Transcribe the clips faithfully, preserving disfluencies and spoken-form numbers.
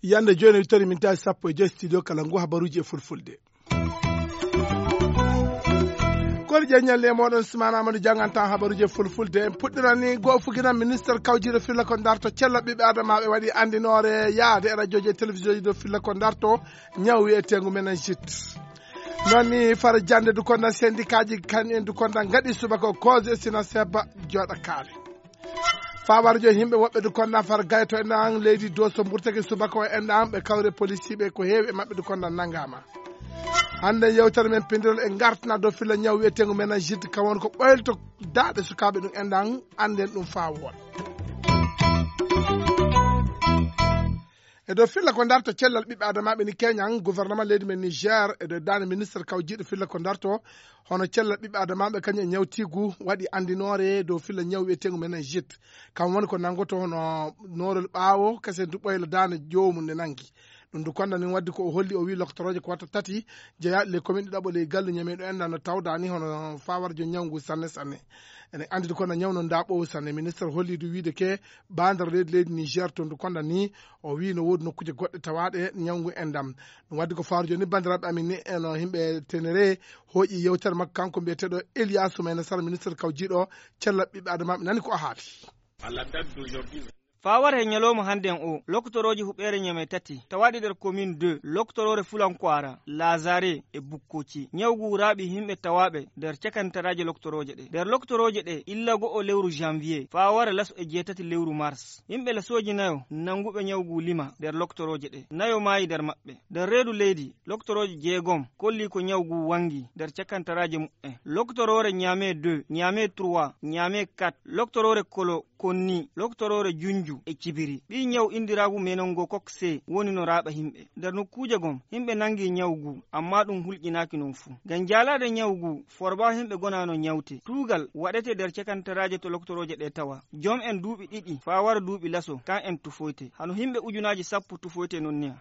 Yande jooni, wittori min tawi sappo e joy studio kala ngu habaruuji e fulfulde. Kori ƴeññalle e mooɗon, Sumaana Amadou janngantaa habaruuji e fulfulde. En puɗɗirani goo fuginan ministre kawjiiɗo filla ko darto cella ɓiɓɓe adamaaɓe waɗi anndinoore yaade e radiooji e télévision ji dow filla ko darto ñaw wiyeteengu meningite. Noon ni fara jannde du konda syndicat ji kan en du konda ngaɗi subaka o cause e sina seba jooɗa kaale. Fawar jo yimɓe woɓɓe du konda far gayto en an leydi doso mburtake subaka o en an ɓe kawre policier ɓe ko heewi e maɓɓe du konda nangama. Hannde yewtere men pindirol e ngartana dow filla ñaw wiyeteengu meningite kam won ko ɓoylto daaɗe sukaaɓe ɗum en an annden ɗum faa woon. E dow filla ko darto cellal ɓiɓɓe adamaaɓe ni keñan gouvernement leydi men Niger e dow daande ministre kawjiiɗo filla ko darto hono cellal ɓiɓɓe adamaaɓe kañum e ñawtiigu waɗi anndinoore dow filla ñaw wiyeteengu meningite. Kam woni ko nanngoto hono noorol ɓaawo kese du ɓoyla daande joomu nde nanngi. Ɗum du konda ni waddi ko o holli o wi loktorooje ko watta tati jeyaaɗe ley commune ɗiɗaɓo ley gallu ñameeɗo en nano tawdaani hono fawarjo ñaw ngu sanne sanne. Ene anndi du konda ñaw no nda ɓowu sanne. Ministre holli du wiide ke bandar leydi leydi Niger to ndu konda ni o wi no woodi nokkuuje goɗɗe tawaaɗe ñaw ngu endam. Ɗum waddi ko fawarjo ni bandiraɓe amin ni eno yimɓe tenere hooƴi yewtere makko kanko mbiyeteeɗo Elias Soumaïla Sarr ministre kawjiiɗo cella ɓiɓɓe adamaaɓe nani ko o haali. Fawar he ñalawma hannden o loktorooje huɓeere ñame tati tawaaɗe nder commune deux loktoroore fulankoara lazare e bukkoci ñaw ngu raaɓi yimɓe tawaaɓe nder cakantaraaje loktorooje ɗe nder loktorooje ɗe illa go'o lewru janvier fawar laso e jeetati lewru mars yimɓe lasooji nayo nannguɓe ñaw ngu lima nder loktorooje ɗe nayo maayi nder maɓɓe nder reedu leydi loktorooje jeegom kolli ko ñaw ngu wanngi nder cakantaraaje muɓɓen loktoroore ñame deux ñame trois ñame quatre loktoroore kolo konni loktoroore junju e cibiri ɓii ñaw inndiraagu meningococque c woni no raaɓa yimɓe nder nokkuuje gom yimɓe nanngi ñaw ngu amma ɗum hulƴinaaki noon fuu ngam jaalaade ñaw ngu forba yimɓe gonaano ñawte tuugal waɗete nder cakantaraaje to loktorooje ɗe tawa joom en duuɓi ɗiɗi faa wara duuɓi laso kan en tufoyte hano yimɓe ujunaaji sappo tufoyte noon niya.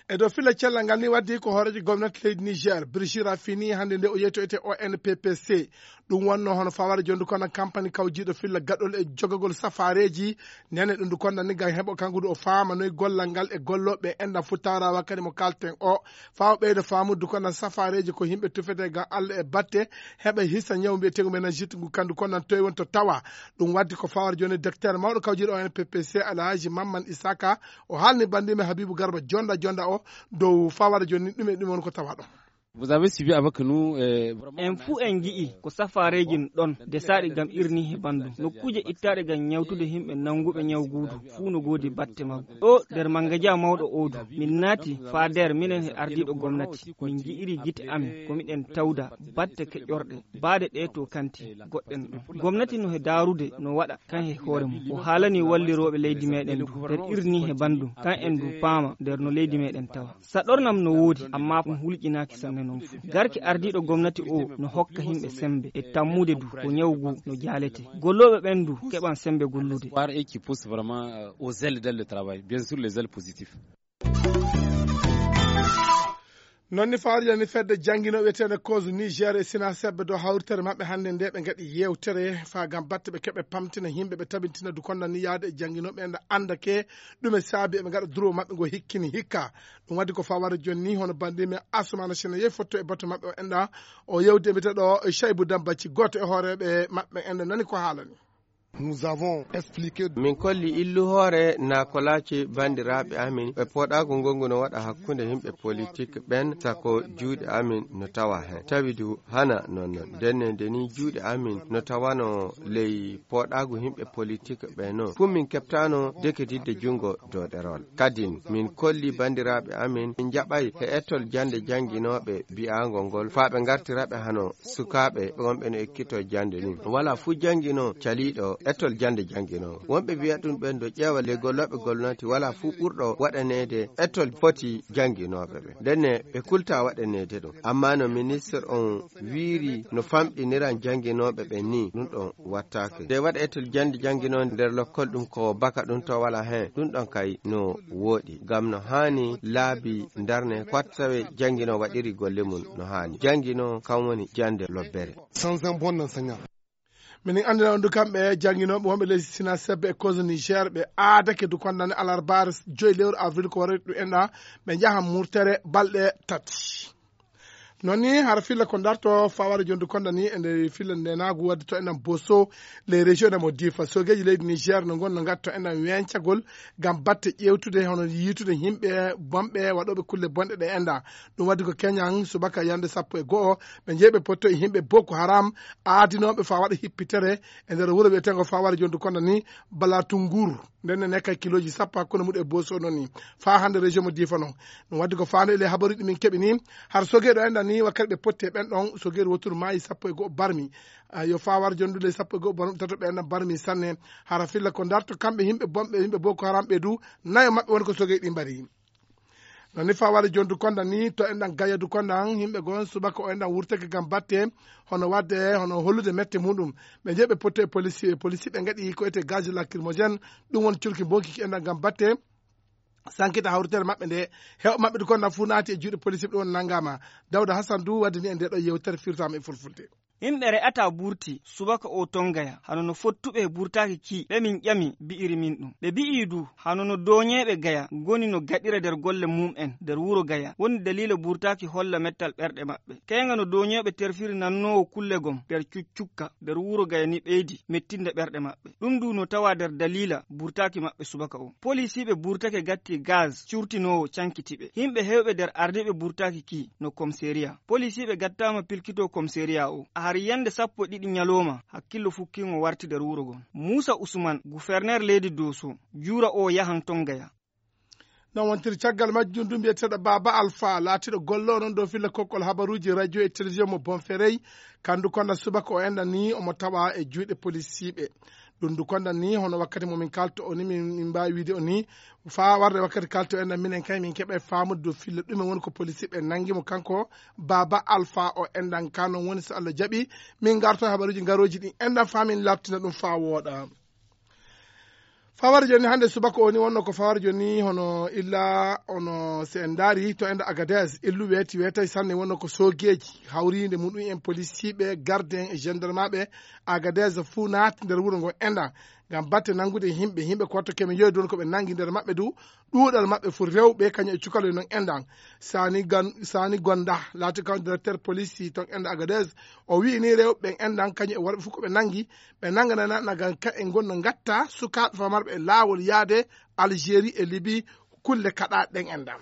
E dow filla cellal ngal ni waddi ko hooreejo gomnati leydi Niger Brigitte Raffini hannde nde o yeytoyte O N P P C. Ɗum wonno hono fawara jondu kono kampani kawjiiɗo filla gaɗol e jogagol safaareeji nene ɗum du konda ni ngam heɓo kanko du o faama noy gollal ngal e gollooɓe enɗam futtaara wakkati mo kalten o faawa ɓeydo faamudu kono safaareeji ko yimɓe tufete ngam Allah e batte heɓa hisa ñaw mbiyeteego meningite ngu kandu kono nan toy won to tawa. Ɗum waddi ko fawara joni docteur mawɗo kawjiiɗo O N P P C Alhaji Mamman Isaka o haalni bandimen Habibu Garba jonda jonda o dow fawara joni ɗum e ɗum won ko tawa ɗon. Vous avez suivi avec nous. En fuu en ngi'i ko safaareeji ɗon desaaɗi ngam irni he banndum nokkuuje ittaaɗe ngam ñawtude himɓe nannguɓe ñaw guudu fuu no goodi batte maggu ɗo nder mangaja mawɗo oodu min naati faa nder minen he ardiiɗo gomnati min ngi'iri gite amin ko miɗen tawda batte keƴorɗe baade ɗe to kanti goɗɗen ɗon gomnati no he daarude no waɗa kan he hoore mum o haalani wallirooɓe leydi meɗen du nder irni he banndum kan en du paama nder no leydi meɗen tawa saɗornam no woodi amma ɗum hulƴinaaki sanne noon fuu garki ardiiɗo gomnati o no hokka yimɓe sembe e tammude du ko ñaw ngu no jaalete gollooɓe ɓen du keɓan sembe gollude. Espoir et qui pousse vraiment aux ailes dans le travail bien sûr les ailes positifs. Noon ni fawrija ni fedde jannginooɓe wiyeteende cause niger e sina sebbe dow hawritere maɓɓe hannde nde ɓe ngaɗi yewtere faa ngam batte ɓe keɓe pamtina yimɓe ɓe tabintina du konda ni yahde e jannginooɓe enda anndake ɗume saabi eɓe ngaɗa duro maɓɓe ngo hikkini hikka. Ɗum waddi ko fawara jonni hono bandimen asumana sina yehi fotto e batu maɓɓe o enda o yewdi e mbiteɗo chaybu dambacci gooto e hooreɓe maɓɓe enda nani ko haalani. Nous avons expliqué. Min kolli illu hoore na ko laaci banndiraaɓe amin e poɗaagu ngongu no waɗa hakkunde yimɓe politik ɓen sako juuɗe amin no tawa heen tawi du hana noon noon ndenne nde ni juuɗe amin no tawano ley poɗaagu yimɓe politik ɓe noon fuu min keɓtaano deketidde junngo doɗerol kadin min kolli banndiraaɓe amin min njaɓay he ettol jannde jannginooɓe biyaangol ngol faa ɓe ngartira ɓe hano sukaaɓe wonɓe no ekkitoo jannde ni wala fuu janngino caliiɗo etol jannde jannginoowo. Wonɓe mbiya ɗum ɓen ɗo ƴeewa ley gollooɓe golnati walaa fuu ɓurɗo waɗaneede etol foti jannginooɓe ɓe. Ndenne ɓe kulta waɗaneede ɗum. Ammaa no ministir on wiiri no famɗiniran jannginooɓe ɓen nii, ɗum ɗon wattaake. Nde waɗa etol jannde jannginoo nder lokkol ɗum ko baka ɗum to walaa heen, ɗum ɗon kay no wooɗi. Ngam no haani laabi ndarne, kwat tawe jannginoo waɗiri golle mum no haani. Jannginoo kam woni jannde lobbere. Sans un bon enseignant. Minin anndina on du kamɓe jannginooɓe wonɓe leydi Sina Sebbe e Kozo Niger, ɓe aadake du kondane alarbaare joyi lewru avril ko waroyta ɗum enɗa, ɓe njaha murtere balɗe tati. Noon ni hara filla ko darto fawara jondu konda ni e nder filla ndenaagu wadde to enɗan Boso, les régions de mo Difa. Sogeeji leydi Niger no ngon no ngatto enɗan wencagol ngam batte ƴeewtude hono yiitude yimɓe bonɓe waɗooɓe kulle bonɗe ɗe enɗa. Ɗum waddi ko keñan subaka yande sappo e go'o, ɓe njeyi ɓe potto e yimɓe Boko Haram aadinooɓe faa waɗa hippitere e nder wuro wiyeteengo fawara jondu konda ni Balatungur. Nden ne kay kilooji sappo hakkunde muɗum e Boso noon ni. Faa hannde région mo Difa noon. Ɗum waddi ko faandu e ley habaruuji ɗi min keɓi ni. Har sogeeɗo enɗan ni wakkati ɓe potti e ɓen ɗon sogeeɗo woturu maayi sappo e go'o barmi. Ah, yo faa war jondu ley sappo e go'o barmi, tato ɓe enɗan barmi sanne. Hara filla ko darto kamɓe yimɓe bonɓe, yimɓe Boko Haram ɓe du, nayo maɓɓe woni ko sogeeɗi ɗi mbari. Noon ni faa war jondu konda ni to enɗan gayadu konda an, yimɓe gon subaka o enɗan wurtake ngam batte, hono wadde, hono hollude mette muɗum. Ɓe njeyi ɓe potti e polisi, e polisi ɓe ngaɗi ko ete gaz lacrymogène, ɗum woni curki bonki ki enɗan ngam batte. Sankita hawritere maɓɓe nde, hew maɓɓe du konda fuu naati e juuɗe polisi ɓe ɗum woni nangama. Dawda Hassan du waddi ni en nde ɗo yewtere firtama e fulfulde. Yimɓe re'ata burti subaka o ton Gaya, hano no fottuɓe e burtaaki ki, ɓe min ƴami, bi'iri min ɗum. Ɓe bi'i du, hano no dooñeeɓe Gaya ngoni no gaɗira nder golle mum'en nder wuro Gaya, woni daliila burtaaki holla mettal ɓerɗe maɓɓe. Keynga no dooñeeɓe terfiri nannoowo kulle gom nder cuccukka nder wuro Gaya ni ɓeydi mettinde ɓerɗe maɓɓe. Ɗum du no tawa nder daliila burtaaki maɓɓe subaka o. Polisiiɓe burtake gatti gaz curtinoowo cankiti ɓe. Yimɓe heewɓe nder ardiiɓe burtaaki ki no komiseriya. Polisiiɓe gattaama pilkitoo komiseriya o. A hari yande sappo e ɗiɗi ñalooma, hakkillo fukkiingo warti nder wuro ngon. Muusa Usman, guferneer leydi Dooso, juura o yahan ton Gaya. Noon wontiri caggal majjum du mbiyeteeɗo Baaba Alfa, laatiiɗo golloo noon dow filla kokkol habaruuji radio e télévision mo Bonferey, kandu konda subaka o enɗan ni omo tawa e juuɗe polisiiɓe. Ɗum du konda ni hono wakkati mo min kalto o ni min, min mbaawi wiide o ni faa warde wakkati kalto enɗan minen kay min keɓa e faamude dow filla ɗumen woni ko polisiiɓe nangi mo kanko Baaba Alfa o enɗan ka noon woni so Allah jaɓi min ngarto e habaruuji ngarooji ɗin enɗan faa min labtina ɗum faa wooɗa. Fawar joni hannde subaka o ni wonno ko fawar joni hono illa ono se en ndaari to enda Agadez illu weeti weetay sanne wonno ko soogeeji hawriinde muɗum en polisiiɓe garde en e gendarmeɓe Agadez fuu naati nder wuro ngo enda ngam batte nanngude yimɓe yimɓe ko watto keme yoyi don ko ɓe nanngi nder maɓɓe du ɗuuɗal maɓɓe fuu rewɓe kañum e cukaloy noon enɗan sani gan sani gonda laati kam directeur police ton enɗa Agadez o wi'i ni rewɓe ɓen enɗan kañum e worɓe fuu ko ɓe nanngi ɓe nannganana nagan ka e ngonno ngatta sukaaɓe famarɓe e laawol yaade Algérie e Libye kulle kaɗaaɗe ɗen enɗan.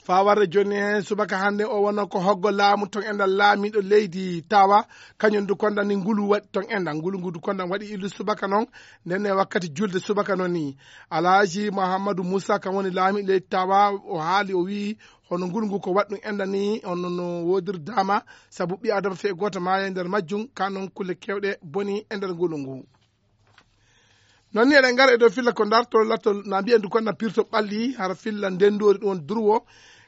Faa warde jooni heen subaka hannde o wonno ko hoggo laamu ton enɗan laamiiɗo leydi tawa kañum du konda ni ngulu waɗi ton enɗan ngulu ngu du konda waɗi illu subaka noon nden e wakkati julde subaka noon ni alhaji Mouhamadou Moussa kam woni laamiiɗo leydi tawa o haali o wi'i hono ngulu ngu ko waɗi ɗum enɗan ni hono no woodiri dama sabu ɓi adama fee gooto maaya e nder majjum ka noon kulle keewɗe boni e nder ngulu ngu. Noon ni eɗen ngara e dow filla ko dartol lattol na mbiyen du konna pirto ɓalli hara filla ndendoori ɗum woni durwo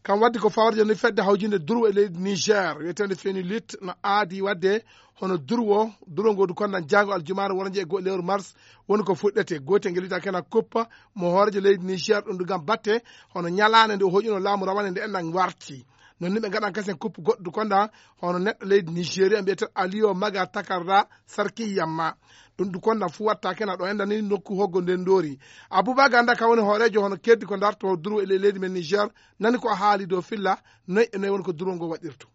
kam waddi ko fawrde ni fedde hawjinde durwo e leydi Niger wiyeteende Fenulit no aadi wadde hono durwo durwo ngo du konna jaango aljumaare wornje e go'o lewru mars woni ko fuɗɗete gootel ngel wiyata kena kuppa mo hoorejo leydi Niger ɗum du ngam batte hono ñalaande nde o hoƴuno laamu rawane nde enɗan warti noon ni ɓe ngaɗan kasen kuppu goɗɗo du konda hono neɗɗo leydi Nigeria mbiyeten Aliyo Maga Takarda Sarki Yamma ɗum du konda fu watta kena ɗo enɗan ni nokku hoggo nden ndoori Abouba Ganda ka woni hoorejo hono keddi ko darto durwo e ley leydi men Niger nani ko haali dow filla noy e noy woni ko durwo ngo waɗirto.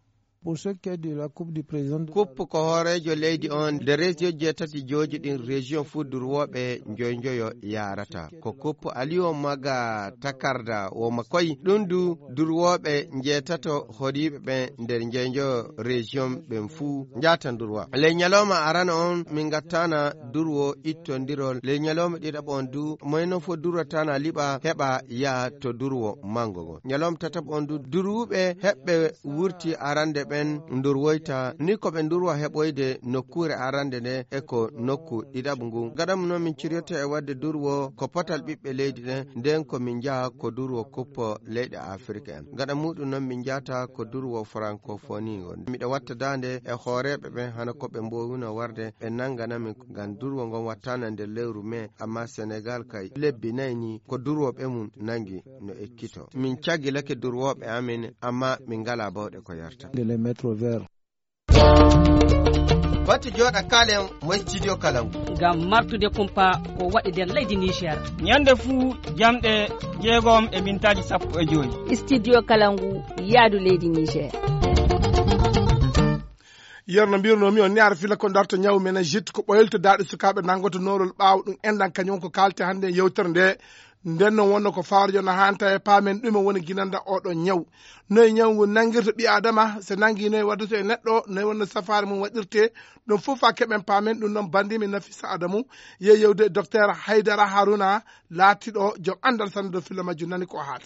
Pour ce qui est de la coupe du président de la Kuppu ko hooreejo leydi on nde région jeetati joojuɗin région fuu durwooɓe njoy njoyo yaarata ko kuppu Aliyo Maga Takarda woma koy ɗum du durwooɓe njeetato hoɗiiɓe ɓen nder njoy njoyo région ɓen fuu njaata durwa ley ñalooma arana on min ngattana durwo ittondirol ley ñalooma ɗiɗaɓo on du moyno fo durwatana liɓa heɓa yaha to durwo mango ngon ñalooma tataɓo on du durwuɓe heɓɓe wurti arande ɓe ɓen ndurwoyta ni ko ɓe ndurwa heɓoyde nokkuure arande nde e ko nokku ɗiɗaɓo ngu. Gaɗa mo noon min ciryoto e waɗde durwo ko potal ɓiɓɓe leydi ɗen, nden ko min njaha ko durwo kuppo leyɗe Afirka en. Gaɗa muɗum noon min njahata ko durwo francophonie ngon. Miɗo watta daande e hooreeɓe ɓen hano ko ɓe mboowino warde ɓe nannganami ngam durwo ngon wattana nder lewru mai, amma Senegal kay lebbi nayi ni ko durwooɓe mum nanngi no ekkito. Min caggilake durwooɓe amin, amma min ngalaa bawɗe ko yarta. De les mettre au vert. Batte jooɗa kaalen mo studio Kalangu. Ngam martude kumpa ko waɗi nder leydi Niger. Ñande fuu jamɗe jeegom e mintaaji sappo e joy. Studio Kalangu yaadu leydi Niger. Yerno mbirnomi on ni ara fila ko darto ñaw meningite ko ɓoyolto daaɗe sukaaɓe nanngoto noorol ɓaawo ɗum enɗan kañum ko kaalte hannde e yewtere nde. Nden noon wonno ko fawre jono hanta e paamen ɗume woni ginanda oɗo ñaw. Noye ñaw ngu nangirta ɓi adama, so nangi noye waddata e neɗɗo, noye wonno safaare mum waɗirte. Ɗum fof fa keɓen paamen ɗum noon bandimi Nafisa Adamu. Yehi yewde docteur Haydara Haruna laatiɗo joom anndal sanne dow filla majjum nani ko haali.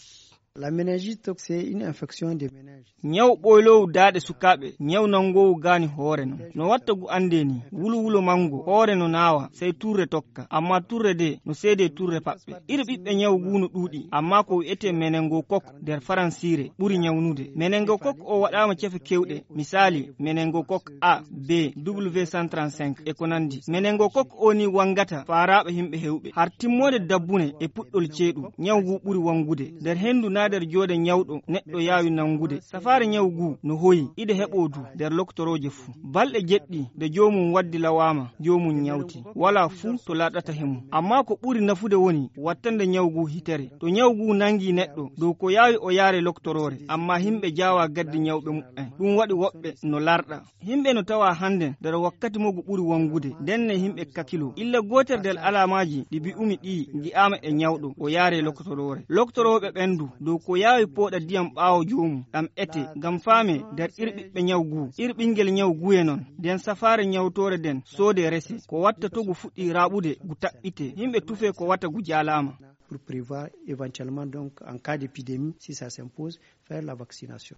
La méningite, c'est une infection des meninges. Ñaw ɓoyloowu daaɗe sukaaɓe, ñaw nanngoowu gaani hoore non. No watta ngu anndee nii, wulowulo manngo, hoore no naawa, sey turre tokka. Ammaa turre de, no seedee turre paɓɓe. Iri ɓiɓɓe ñaw nguu no ɗuuɗi, ammaa ko wi'etee meningococque nder faransiire ɓuri ñawnude. Meningococque o waɗaama cefe keewɗe, misaali, meningococque A, B, W cent trente-cinq e ko nanndi. Meningococque o nii wanngata faaraaɓe yimɓe heewɓe. Har timmoode dabbune e puɗɗol ceeɗu, ñaw nguu ɓuri wanngude. Nder henndu naa nder joode ñawɗo neɗɗo yaawi nanngude. Safaare ñaw nguu no hoyi, ide heɓoo du nder lokotorooje fuu. Balɗe jeɗɗi nde joomum waddi lawaama, joomum ñawti. Walaa fuu to laaɗata he mum. Ammaa ko ɓuri nafude woni wattande ñaw nguu hitere. To ñaw nguu nanngii neɗɗo, dow ko yaawi o yaare lokotoroore, ammaa yimɓe jaawaa gaddi ñawɓe muɓɓen. Ɗum waɗi woɓɓe no larɗa. Yimɓe no tawaa hannden nder wakkati mo ngu ɓuri wanngude, ndenne yimɓe kakiloo. Illa gootel nder alaamaaji ɗi mbi'umi ɗii ngi'aama e ñawɗo, o yaaree lokotoroore. Lokotorooɓe ɓen du, dow ko yaawi pooɗa ndiyam ɓaawo joomum, ɗam etee, ngam faamee nder ir ɓiɓɓe ñaw nguu, ir ɓinngel ñaw nguye non, nden safaare ñawtoore nden soodee resee, ko watta to ngu fuɗɗii raaɓude, ngu taɓɓitee, yimɓe tufee ko wata ngu jaalaama. Pour prévoir éventuellement donc en cas d'épidémie, si ça s'impose, faire la vaccination.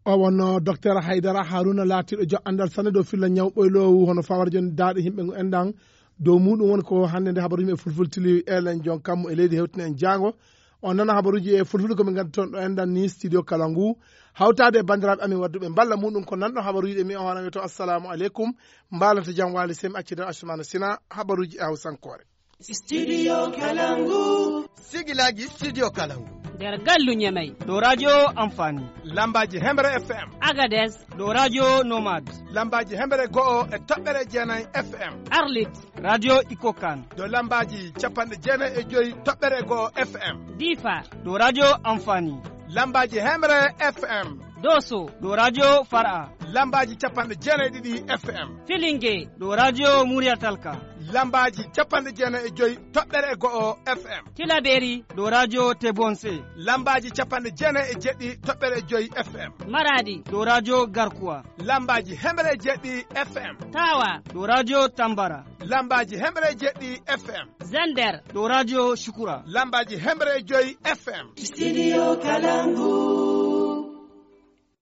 O wonno docteur Haydara Haruna laatiiɗo jo anndal sanne dow filla ñaw ɓoyloowu hono fawara jon daaɗe yimɓe ngu enɗan. Dow muɗum woni ko hannde nde habaruji men fulfultili elen jon kammu e leydi hewtini en jaango. On nana habaruji e fulfulde ko min ngaddi toon ɗo enɗan ni studio kala ngu. Hawtaade e banndiraaɓe amin waɗduɓe mballa muɗum ko nanɗo habaruji ɗe mi on hono wiyto assalamu aleykum. Mbaalata jam waali sey mi accida Asumana Sina habaruji e hawsankoore. Studio Kalangu. Sigilaaji Studio Kalangu. Nder gallu Ñamey. Dow radio Amfani. Lambaaji Hemre F M. Agadez. Dow radio Nomad. Lambaaji Hemre go'o e toɓɓere jeenay F M. Arlit. Radio Ikokan. Dow lambaaji capanɗe jeenay e joy toɓɓere go'o F M. Difa. Dow radio Amfani. Lambaaji Hemre F M. Doso. Dow radio Fara. Lambaaji capanɗe jeenay ɗiɗi F M. Filinge. Dow radio Muriya Talka. Lambaaji capanɗe jeenay e joy toɓɓere e go'o F M. Tilaberi. Dow radio Tebonse. Lambaaji capanɗe jeenay e jeɗɗi toɓɓere e joy F M. Maradi. Dow radio Garkuwa. Lambaaji hemre e jeɗɗi F M. Tawa. Dow radio Tambara. Lambaaji hemre e jeɗɗi F M. Zender. Dow radio Shukura. Lambaaji hemre e joy F M. Studio Kalangu.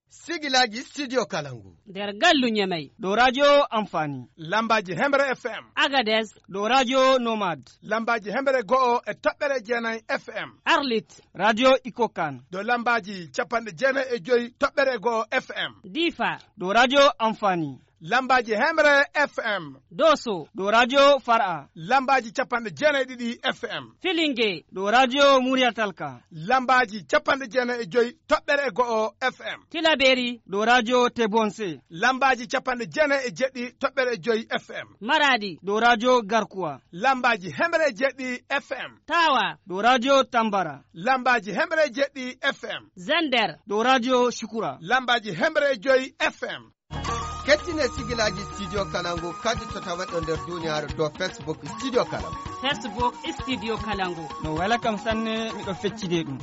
Sigilaaji Studio Kalangu. Nder gallu Ñamey. Dow radio Amfani. Lambaaji hemre F M. Agadez. Dow radio Nomad. Lambaaji hemre go'o e toɓɓere jeenay F M. Arlit. Radio Ikokan. Dow lambaaji capanɗe jeenay e joy toɓɓere go'o F M. Difa. Dow radio Amfani. Lambaaji hemre F M. Doso. Dow radio Fara. Lambaaji capanɗe jeenay ɗiɗi F M. Filinge. Dow radio Muriya Talka. Lambaaji capanɗe jeenay e joy toɓɓere e go'o F M. Tilaberi. Dow radio Tebonse. Lambaaji capanɗe jeenay e jeɗɗi toɓɓere e joy F M. Maradi. Dow radio Garkuwa. Lambaaji hemre e jeɗɗi F M. Tawa. Dow radio Tambara. Lambaaji hemre e jeɗɗi F M. Zender. Dow radio Shukura. Lambaaji hemre e joy F M. Kettine sigilaaji Studio Kalangu kadi to tawaɗo nder duniyaaru dow Facebook Studio Kalangu. Facebook Studio Kalangu. No wela kam sanne, miɗo feccide ɗum.